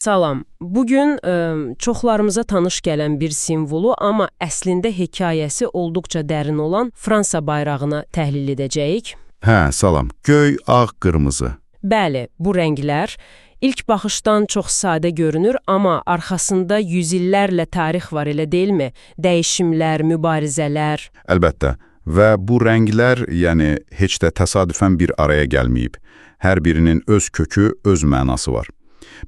Salam. Bugün çoxlarımıza tanış gələn bir simvolu, amma əslində hekayəsi olduqca dərin olan Fransa bayrağını təhlil edəcəyik. Hə, salam. Göy, ağ, qırmızı. Bəli, bu rənglər ilk baxışdan çox sadə görünür, amma arxasında yüzillərlə tarix var, elə deyilmi? Dəyişimlər, mübarizələr. Əlbəttə. Və bu rənglər, yəni heç də təsadüfən bir araya gəlməyib. Hər birinin öz kökü, öz mənası var.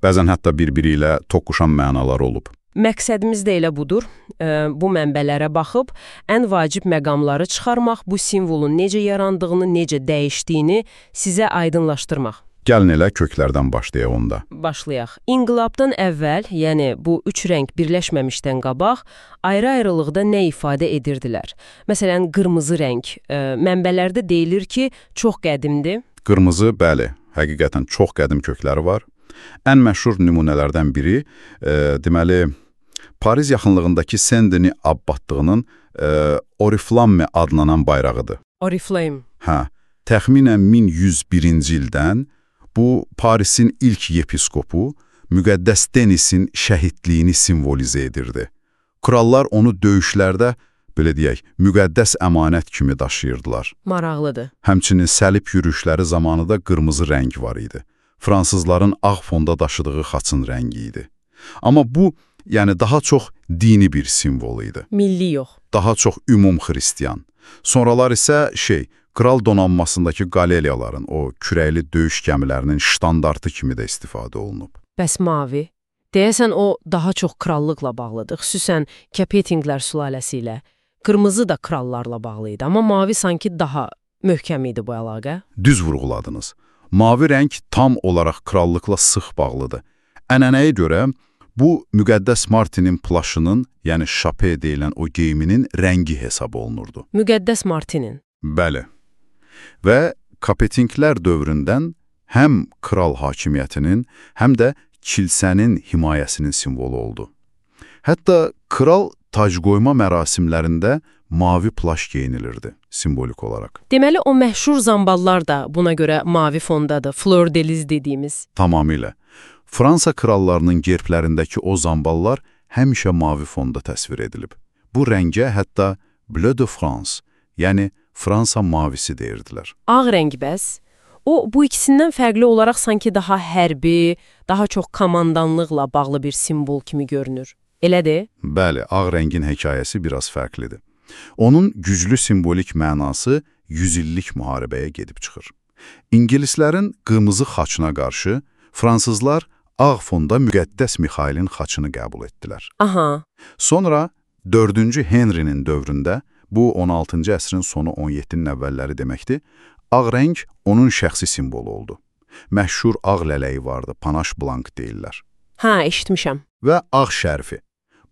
Bəzən hətta bir-biri ilə toqquşan mənalar olub. Məqsədimiz də elə budur. Bu mənbələrə baxıb, ən vacib məqamları çıxarmaq, bu simvolun necə yarandığını, necə dəyişdiyini sizə aydınlaşdırmaq. Gəlin elə köklərdən başlayaq onda. Başlayaq. İnqilabdan əvvəl, yəni bu üç rəng birləşməmişdən qabaq, ayrı-ayrılıqda nə ifadə edirdilər? Məsələn, qırmızı rəng. Mənbələrdə deyilir ki, çox qədimdir. Qırmızı, bəli, həqiqətən çox qədim kökləri var. Ən məşhur nümunələrdən biri, deməli, Paris yaxınlığındakı Saint-Denis abbatlığının Oriflamme adlanan bayrağıdır. Oriflamme. Hə, təxminən 1101-ci ildən bu Parisin ilk yepiskopu Müqəddəs Denisin şəhidliyini simvolizə edirdi. Krallar onu döyüşlərdə, belə deyək, müqəddəs əmanət kimi daşıyırdılar. Maraqlıdır. Həmçinin səlib yürüşləri zamanı da qırmızı rəng var idi. Fransızların ağ fonda daşıdığı xaçın rəngi idi. Amma bu, yəni daha çox dini bir simvol idi. Milli yox. Daha çox ümum-xristiyan. Sonralar isə kral donanmasındakı qaleriyaların, o kürəkli döyüş gəmilərinin ştandartı kimi də istifadə olunub. Bəs mavi? Deyəsən o daha çox krallıqla bağlıdır, xüsusən Capetinglər sülaləsi ilə. Qırmızı da krallarla bağlı idi, amma mavi sanki daha möhkəm idi bu əlaqə. Düz vurğuladınız. Mavi rəng tam olaraq krallıqla sıx bağlıdır. Ənənəyə görə bu Müqəddəs Martinin plaşının, yəni şape deyilən o geyiminin rəngi hesab olunurdu. Müqəddəs Martinin? Bəli. Və Capetinglər dövründən həm kral hakimiyyətinin, həm də kilsənin himayəsinin simvolu oldu. Hətta kral tacqoyma mərasimlərində mavi plaş geyinilirdi, simvolik olaraq. Deməli, o məşhur zamballar da buna görə mavi fondadır, fleur de lis dediyimiz. Tamamilə. Fransa krallarının gerblərindəki o zamballar həmişə mavi fonda təsvir edilib. Bu rəngə hətta Bleu de France, yəni Fransa mavisi deyirdilər. Ağ rəng bəs? O, bu ikisindən fərqli olaraq sanki daha hərbi, daha çox komandanlıqla bağlı bir simvol kimi görünür. Elədir? Bəli, ağ rəngin hekayəsi biraz fərqlidir. Onun güclü simvolik mənası 100 illik müharibəyə gedib çıxır. İngilislərin qırmızı xaçına qarşı fransızlar ağ fonda Müqəddəs Mixailin xaçını qəbul etdilər. Aha. Sonra 4-cü Henrinin dövründə, bu 16-cı əsrin sonu 17-nin əvvəlləri deməkdir, ağ rəng onun şəxsi simvolu oldu. Məşhur ağ lələyi vardı, panaş blank deyirlər. Hə, eşitmişəm. Və ağ şərfi.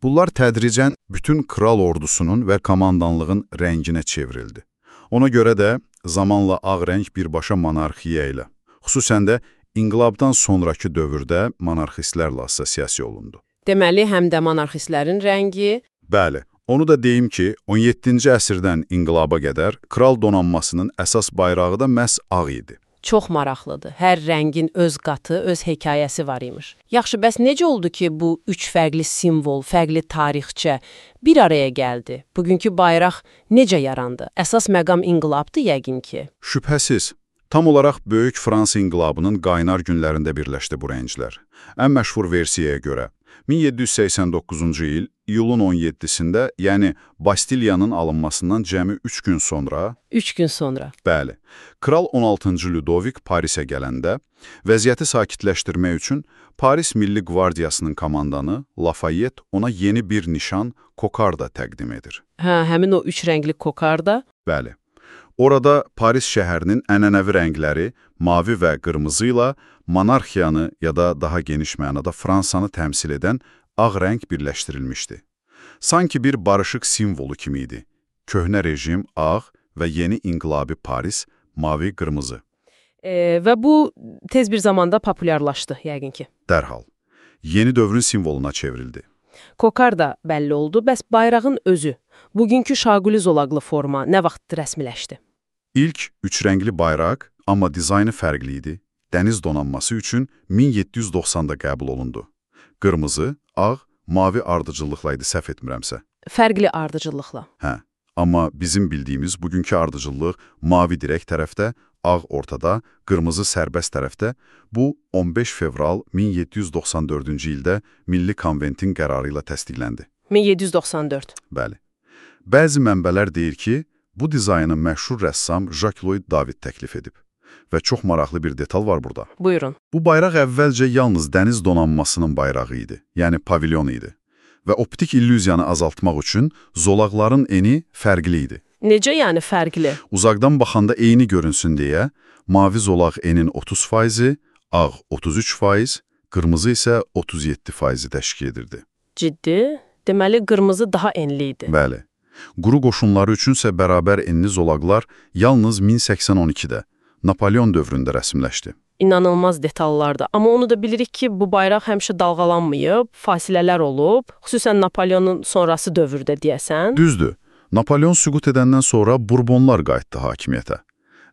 Bunlar tədricən bütün kral ordusunun və komandanlığın rənginə çevrildi. Ona görə də zamanla ağ rəng birbaşa monarxiya ilə, xüsusən də inqilabdan sonraki dövrdə monarxistlərlə assosiasiya olundu. Deməli, həm də monarxistlərin rəngi... Bəli, onu da deyim ki, 17-ci əsrdən inqilaba qədər kral donanmasının əsas bayrağı da məhz ağ idi. Çox maraqlıdır. Hər rəngin öz qatı, öz hekayəsi var imiş. Yaxşı, bəs necə oldu ki, bu üç fərqli simvol, fərqli tarixçə bir araya gəldi? Bugünkü bayraq necə yarandı? Əsas məqam inqilabdır yəqin ki. Şübhəsiz. Tam olaraq Böyük Fransa inqilabının qaynar günlərində birləşdi bu rənglər. Ən məşhur versiyaya görə 1789-cu il iyulun 17-sində, yəni Bastiliyanın alınmasından cəmi 3 gün sonra... 3 gün sonra. Bəli. Kral 16-cı Ludovik Parisə gələndə, vəziyyəti sakitləşdirmək üçün Paris Milli Qvardiyasının komandanı Lafayette ona yeni bir nişan kokarda təqdim edir. Hə, həmin o 3 rəngli kokarda? Bəli. Orada Paris şəhərinin ənənəvi rəngləri mavi və qırmızı ilə monarxiyanı ya da daha geniş mənada Fransanı təmsil edən ağ rəng birləşdirilmişdi. Sanki bir barışıq simvolu kimi idi. Köhnə rejim ağ və yeni inqilabi Paris mavi-qırmızı. Və bu tez bir zamanda populyarlaşdı yəqin ki. Dərhal. Yeni dövrün simvoluna çevrildi. Kokar da bəlli oldu, bəs bayrağın özü, bugünkü şaquli zolaqlı forma nə vaxt rəsmiləşdi? İlk üç rəngli bayraq, amma dizaynı fərqli idi. Dəniz donanması üçün 1790-da qəbul olundu. Qırmızı, ağ, mavi ardıcıllıqla idi, səhv etmirəmsə. Fərqli ardıcıllıqla. Hə, amma bizim bildiyimiz bugünkü ardıcıllıq mavi dirək tərəfdə, ağ ortada, qırmızı sərbəst tərəfdə. Bu 15 fevral 1794-cü ildə Milli Konventin qərarı ilə təsdiqləndi. 1794. Bəli. Bəzi mənbələr deyir ki, bu dizaynı məşhur rəssam Jacques Louis David təklif edib. Və çox maraqlı bir detal var burada. Buyurun. Bu bayraq əvvəlcə yalnız dəniz donanmasının bayrağı idi, yəni pavilyon idi. Və optik illüziyanı azaltmaq üçün zolaqların eni fərqli idi. Necə yəni fərqli? Uzaqdan baxanda eyni görünsün deyə, mavi zolaq enin 30%, ağ 33%, qırmızı isə 37% təşkil edirdi. Ciddi? Deməli, qırmızı daha enli idi. Bəli. Quru qoşunları üçünsə bərabər enli zolaqlar yalnız 1082-də, Napolyon dövründə rəsmləşdi. İnanılmaz detallardır. Amma onu da bilirik ki, bu bayraq həmişə dalğalanmayıb, fasilələr olub, xüsusən Napolyonun sonrası dövrdə deyəsən. Düzdür. Napolyon süqut edəndən sonra Burbonlar qayıtdı hakimiyyətə.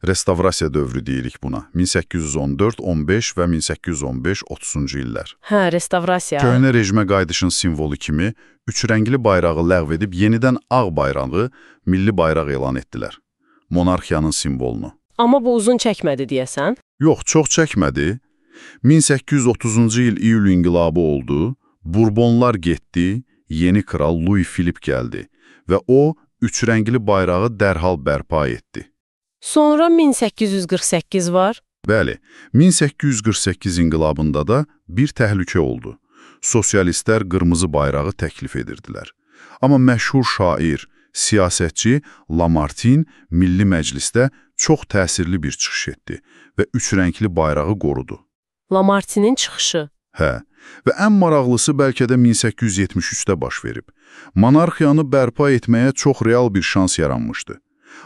Restavrasiya dövrü deyirik buna. 1814, 15 və 1815, 30-cu illər. Hə, restavrasiya. Köhnə rejimə qayıdışın simvolu kimi üçrəngli bayrağı ləğv edib yenidən ağ bayrağı milli bayraq elan etdilər. Monarxiyanın simvolunu. Amma bu uzun çəkmədi deyəsən. Yox, çox çəkmədi. 1830-cu il iyul inqilabı oldu, Burbonlar getdi, yeni kral Louis Philippe gəldi və o, üçrəngli bayrağı dərhal bərpa etdi. Sonra 1848 var. Bəli, 1848 inqilabında da bir təhlükə oldu. Sosialistlər qırmızı bayrağı təklif edirdilər. Amma məşhur şair, siyasətçi Lamartine Milli Məclisdə çox təsirli bir çıxış etdi və üçrəngli bayrağı qorudu. Lamartinin çıxışı. Hə, və ən maraqlısı bəlkə də 1873-də baş verib. Monarxiyanı bərpa etməyə çox real bir şans yaranmışdı.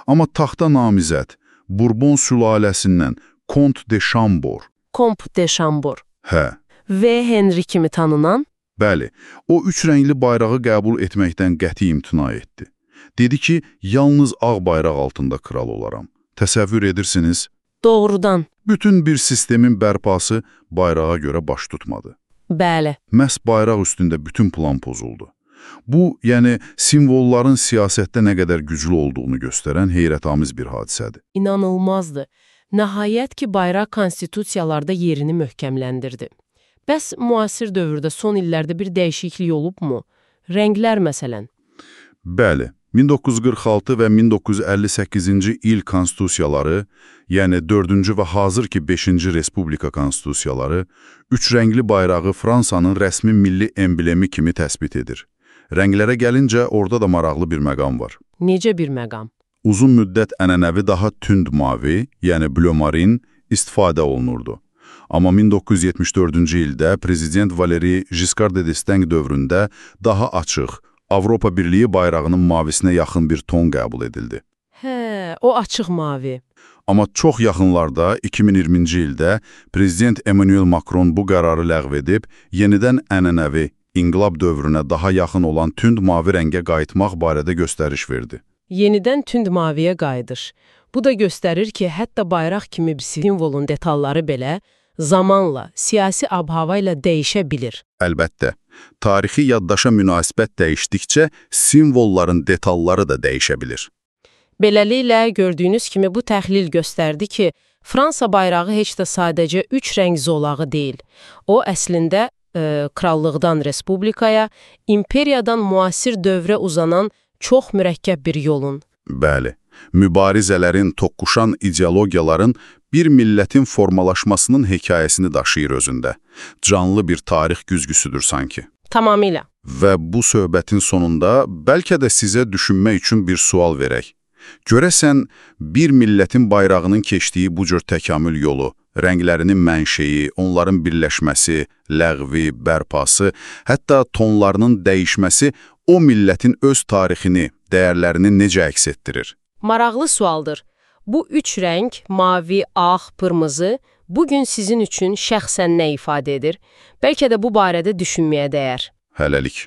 Amma taxta namizəd, Bourbon sülaləsindən Comte de Chambord. Comte de Chambord. Hə. V. Henry kimi tanınan. Bəli, o üç rəngli bayrağı qəbul etməkdən qəti imtina etdi. Dedi ki, yalnız ağ bayraq altında kral olaram. Təsəvvür edirsiniz? Doğrudan. Bütün bir sistemin bərpası bayrağa görə baş tutmadı. Bəli. Məhz bayraq üstündə bütün plan pozuldu. Bu, yəni simvolların siyasətdə nə qədər güclü olduğunu göstərən heyrətamiz bir hadisədir. İnanılmazdır. Nəhayət ki, bayraq konstitusiyalarda yerini möhkəmləndirdi. Bəs müasir dövrdə son illərdə bir dəyişiklik olubmu? Rənglər məsələn. Bəli, 1946 və 1958-ci il konstitusiyaları, yəni 4-cü və hazırki 5-ci Respublika konstitusiyaları, üç rəngli bayrağı Fransanın rəsmi milli emblemi kimi təsbit edir. Rənglərə gəlincə, orada da maraqlı bir məqam var. Necə bir məqam? Uzun müddət ənənəvi daha tünd mavi, yəni bleu marin, istifadə olunurdu. Amma 1974-cü ildə Prezident Valéry Giscard d'Estaing dövründə daha açıq, Avropa Birliyi bayrağının mavisinə yaxın bir ton qəbul edildi. Hə, o açıq mavi. Amma çox yaxınlarda, 2020-ci ildə Prezident Emmanuel Macron bu qərarı ləğv edib, yenidən ənənəvi, inqilab dövrünə daha yaxın olan tünd mavi rəngə qayıtmaq barədə göstəriş verdi. Yenidən tünd maviyə qayıdış. Bu da göstərir ki, hətta bayraq kimi bir simvolun detalları belə zamanla, siyasi ab-hava ilə dəyişə bilir. Əlbəttə, tarixi yaddaşa münasibət dəyişdikcə simvolların detalları da dəyişə bilir. Beləliklə, gördüyünüz kimi bu təhlil göstərdi ki, Fransa bayrağı heç də sadəcə üç rəng zolağı deyil. O, əslində, krallıqdan respublikaya, imperiyadan müasir dövrə uzanan çox mürəkkəb bir yolun. Bəli, mübarizələrin, toqquşan ideologiyaların bir millətin formalaşmasının hekayəsini daşıyır özündə. Canlı bir tarix güzgüsüdür sanki. Tamamilə. Və bu söhbətin sonunda bəlkə də sizə düşünmək üçün bir sual verək. Görəsən, bir millətin bayrağının keçdiyi bu cür təkamül yolu, rənglərinin mənşeyi, onların birləşməsi, ləğvi, bərpası, hətta tonlarının dəyişməsi o millətin öz tarixini, dəyərlərini necə əks etdirir? Maraqlı sualdır. Bu üç rəng, mavi, ağ, qırmızı, bugün sizin üçün şəxsən nə ifadə edir? Bəlkə də bu barədə düşünməyə dəyər. Hələlik.